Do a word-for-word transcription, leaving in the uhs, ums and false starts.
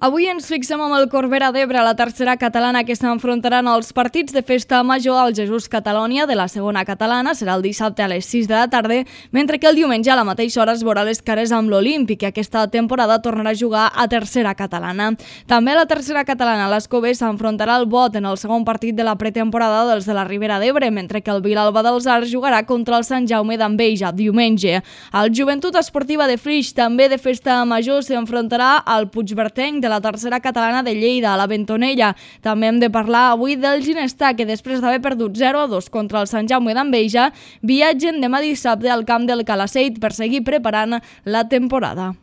Avui ens fixem amb el Corbera d'Ebre, la tercera catalana que s'enfrontaran als partits de festa major al Jesús Catalònia de la segona catalana. Serà el dissabte a les sis de la tarda, mentre que el diumenge a la mateixa hora es veurà les cares amb l'Olímpic, que aquesta temporada tornarà a jugar a tercera catalana. També la tercera catalana, l'Escobé, s'enfrontarà al Bot en el segon partit de la pretemporada dels de la Ribera d'Ebre, mentre que el Vilalba dels Arcs jugarà contra el Sant Jaume d'Enveja diumenge. El Joventut Esportiva de Flix, també de festa major, s'enfrontarà al Puigbertenc de la tercera catalana de Lleida, a la Bentonella. També hem de parlar avui del Ginestar, que després d'haver perdut zero a dos contra el Sant Jaume d'Enveja, viatgen demà dissabte al camp del Calaceit per seguir preparant la temporada.